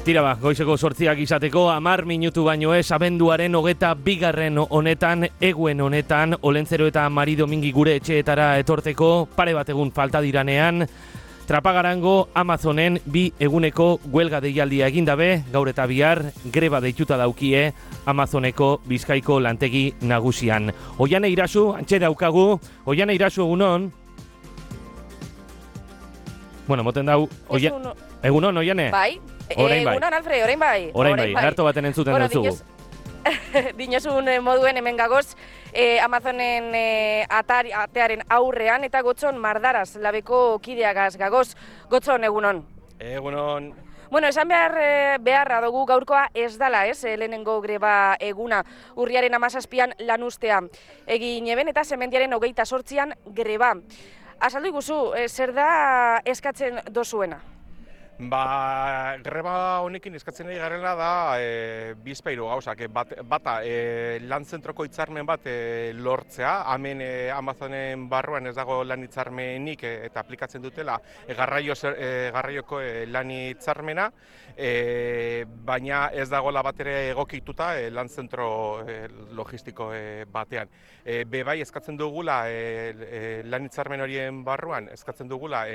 Tira ba, goizeko 8 izateko 10 minutu baino ez abenduaren 22 honetan, eguen honetan, Olentzero eta Mari Domingi gure etxeetara etorteko pare bat egun falta diranean, Trapagarango Amazonen 2 eguneko huelga deialdia egin dabe, gaur eta bihar greba deituta daukie Amazoneko Bizkaiko lantegi nagusian. Oiane Irasu, antxe daukagu, Oiane Irasu egunon. Bueno, moten dau, egunon, Oiane? Bai. Egunon, Alfred, orain bai. Orain bai, harto baten entzuten dutzugu. Dinozun moduen hemen gagoz, Amazonen atearen aurrean, eta Gotzon Mardaraz, labeko kideagaz gagoz. Gotzon, egunon. Egunon. Bueno, esan beharra dugu gaurkoa ez dala, lehenengo greba eguna, urriaren 17an lanustea egin eben, eta semendiaren 28an greba. Azaldu iguzu, zer da eskatzen dozuena? Greba honekin eskatzen nahi garela da bizpairu gauzak. Bata, lan zentroko hitzarmen bat lortzea, hemen Amazonen barruan ez dago lan hitzarmenik eta aplikatzen dutela garraioko lan hitzarmena, baina ez dagoela bat ere egokituta lan zentro logistiko batean. Bai, eskatzen dugula lan hitzarmen horien barruan, eskatzen dugula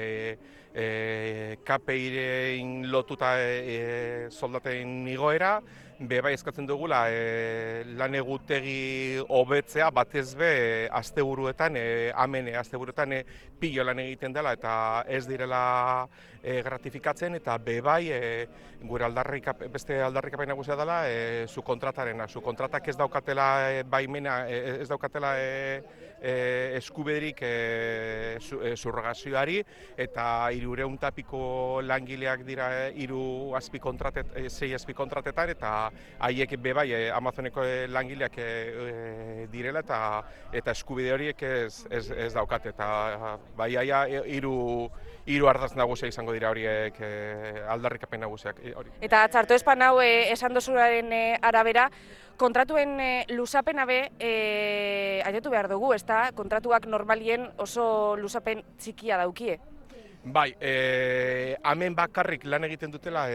KPI-rein lotuta soldaten igoera, bai eskatzen dugula lan egutegi hobetzea, batez be asteburuetan, hemen asteburuetan pilo lan egiten dela eta ez direla gratifikatzen, eta bai gure beste aldarrikapen nagusia dela subkontratarena. Subkontratak ez daukatela baimena, ez daukatela eskubederik subrogazioari, eta 300 eta piko langileak dira 6 azpikontratetan, eta haiek bai Amazoneko langileak direla, eta eskubide horiek ez daukate, eta bai hiru ardaz nagusia izango dira horiek aldarrikapen nagusiak. Eta txarto espan hau esan dozuraren arabera, kontratuen lusapena be ailetu behar dugu, ezta? Kontratuak normalien oso lusapen txikia daukie. Bai, hemen bakarrik lan egiten dutela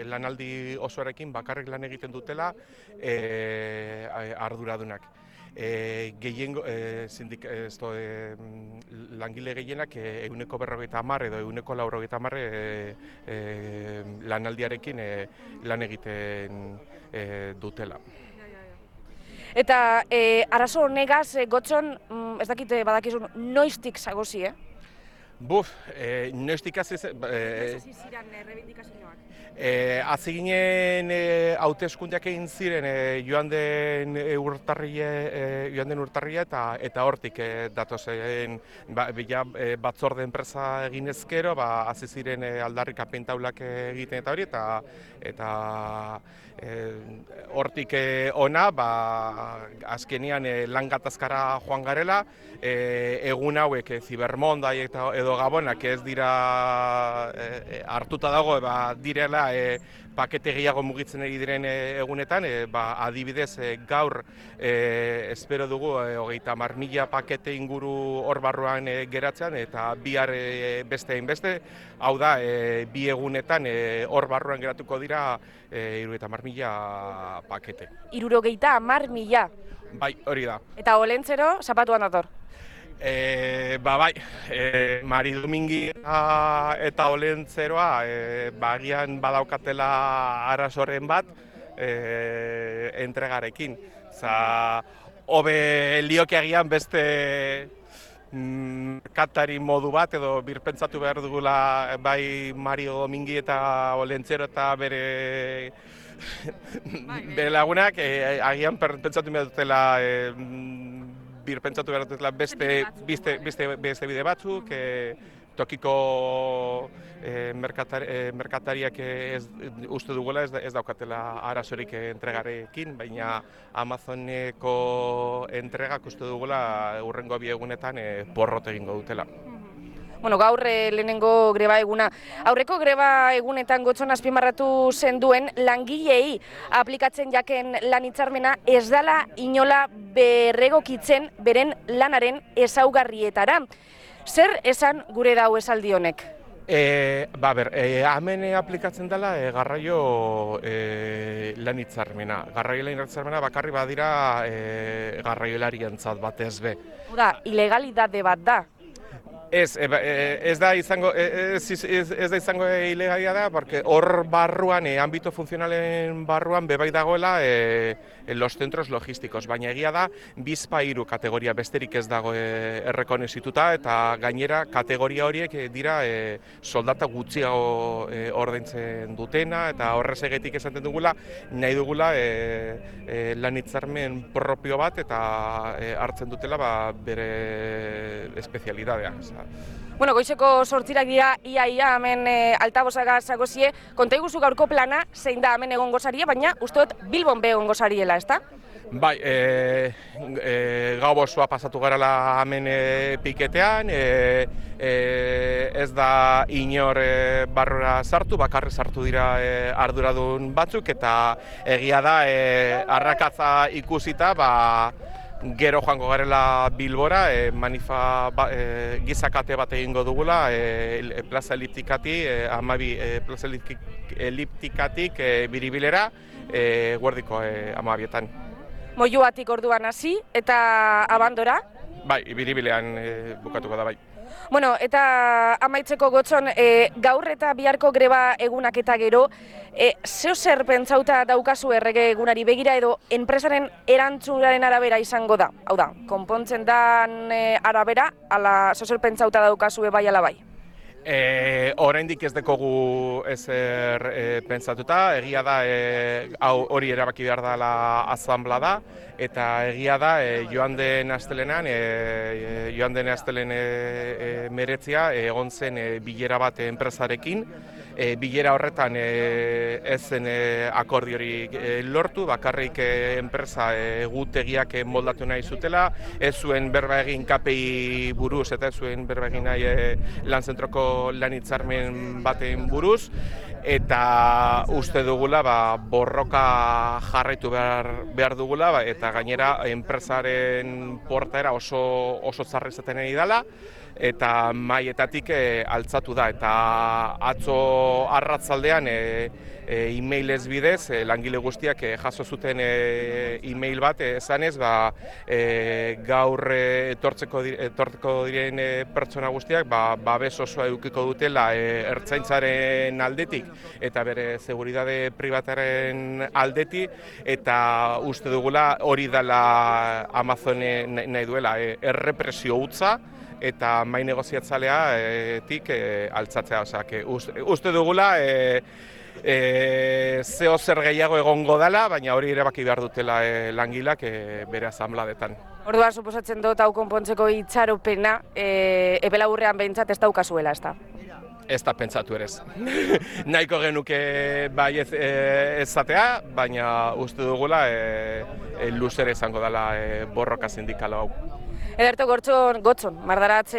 lanaldi osoarekin bakarrik lan egiten dutela arduradunak. Langile gehienak 150 edo 190 lanaldiarekin lan egiten dutela. Eta arazo honegaz, Gotzon, ez dakit badakizun, noiztik zagozi, Noiztik hasi ziren rebindikazioak? Hasi ginen hauteskundeak egin ziren joan den urtarria eta hortik datozen batzorde enpresa egin ezkero, hasi ziren aldarrikapen taulak egiten eta hori, eta hortik ona, azkenean lan gatazkara joan garela, egun hauek Zibermondai edo Gabonak ez dira hartuta dago, direla pakete gehiago mugitzen ari diren egunetan, adibidez gaur espero dugu 30.000 pakete inguru hor barruan geratzean, eta bihar beste hainbeste, hau da, 2 egunetan hor barruan geratuko dira 30.000 pakete. 30.000? Bai, hori da. Eta Olentzero, zapatuan dator? Bai, Mari Domingi eta Olentzeroa bagian badaukatela arazoren bat entregarekin. Hobe lioke agian beste merkatari modu bat, edo birpentsatu behar dugula bai Mari Domingi eta Olentzero eta bere lagunak, agian pentsatu behar dutela birpentsatu behar dutela beste bide batzuk, tokiko merkatariak uste dugula ez daukatela arazorik entregarekin, baina Amazoneko entregak uste dugula hurrengo 2 egunetan porrot egingo dutela. Bueno, gaur lehenengo greba eguna. Aurreko greba egunetan Gotzon azpimarratu zenduen langileei aplikatzen jaken lan hitzarmena ez dela inola berregokitzen beren lanaren ezaugarrietara. Zer esan gure dau esaldi honek? Hemen aplikatzen dela garraio lan hitzarmena. Garraio lan hitzarmena bakarri badira garraiolarien batez be. Oda, ilegalidade bat da. Ez da izango ilegalia da, porque hor barruan, ámbito funtzionalen barruan, bebai dagoela los centros logísticos, baina egia da, bizpahiru kategoria besterik ez dago errekonozituta, eta gainera kategoria horiek dira soldata gutxiago ordaintzen dutena, eta horrezegetik esaten dugula, nahi dugula lan hitzarmen propio bat, eta hartzen dutela bere espezialidadea. Bueno, goizeko 8 dira ia hemen altabosaga zagozie. Konta iguzu gaurko plana, zein da hemen egongo zarie, baina uste dut Bilbon be egongo zariela, ezta? Bai, gau osoa pasatu garala hemen piketean, ez da inor barrura sartu, bakarri sartu dira arduradun batzuk, eta egia da arrakatza ikusita, gero joango garela Bilbora, gizakate bat egingo dugula, plaza eliptikatik, plaza eliptikatik biribilera, guardiko 12etan. Moiuatik orduan hasi eta abandora? Bai, biribilean bukatuko da, bai. Bueno, eta amaitzeko Gotzon, gaur eta biharko greba egunak eta gero, zeo zer pentsauta daukazu errege egunari begira edo enpresaren erantzunaren arabera izango da? Hau da, konpontzen dan arabera, ala zeo zer pentsauta daukazu bai ala bai? Oraindik ez dekogu ezer pentsatuta, egia da hori erabaki behar dela asanblada, eta egia da joan den astelenean meretzia egon zen bilera bat enpresarekin. Bilera horretan ez zen akordiorik lortu, bakarrik enpresa egutegiak moldatu nahi zutela, ez zuen berba egin KPI buruz eta ez zuen berba egin nahi lanzentroko lan hitzarmen baten buruz, eta uste dugula borroka jarraitu behar dugula, eta gainera enpresaren portaera oso zarri izaten ari dela, eta maietatik altzatu da, eta atzo arratzaldean e-mailez bidez langile guztiak jaso zuten e-mail bat esanez gaur etortzeko diren pertsona guztiak babes osoa edukiko dutela ertzaintzaren aldetik eta bere seguridade pribataren aldetik, eta uste dugula hori dela Amazonen nahi duela errepresio hutsa eta mai negoziatzaleatik altzatzea, uste dugula zeo zer gehiago egongo dela, baina hori erabaki behar dutela langilak bere asanbladetan. Orduan, suposatzen dut hau konpontzeko itxaropena, epe laburrean behintzat ez daukazuela, ezta? Ez da pentsatu ere ez. Nahiko genuke bai ezatea, baina uste dugula luzere izango dela borroka sindikalo hau. Ederto Gotzon, Mardaratz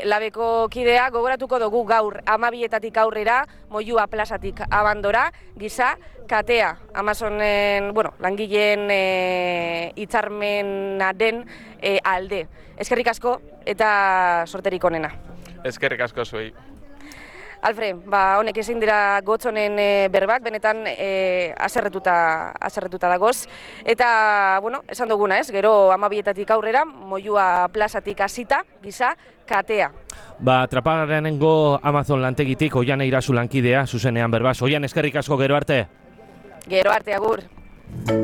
labeko kidea, gogoratuko dugu gaur 12etatik aurrera, Moyua plazatik abandora, giza katea, Amazonen, langileen hitzarmenaren alde. Eskerrik asko eta sorterik onena. Eskerrik asko zuei. Alfred, honek ezin dira Gotzonen berbak, benetan aserretuta dagoz. Eta, esan duguna ez, gero 12etatik aurrera, Moyua plazatik hasita, giza katea. Trapagarrenengo Amazon lantegitik, Oian Eirazu lankidea, zuzenean berbaz. Oian, eskerrik asko, gero arte. Gero arte, agur.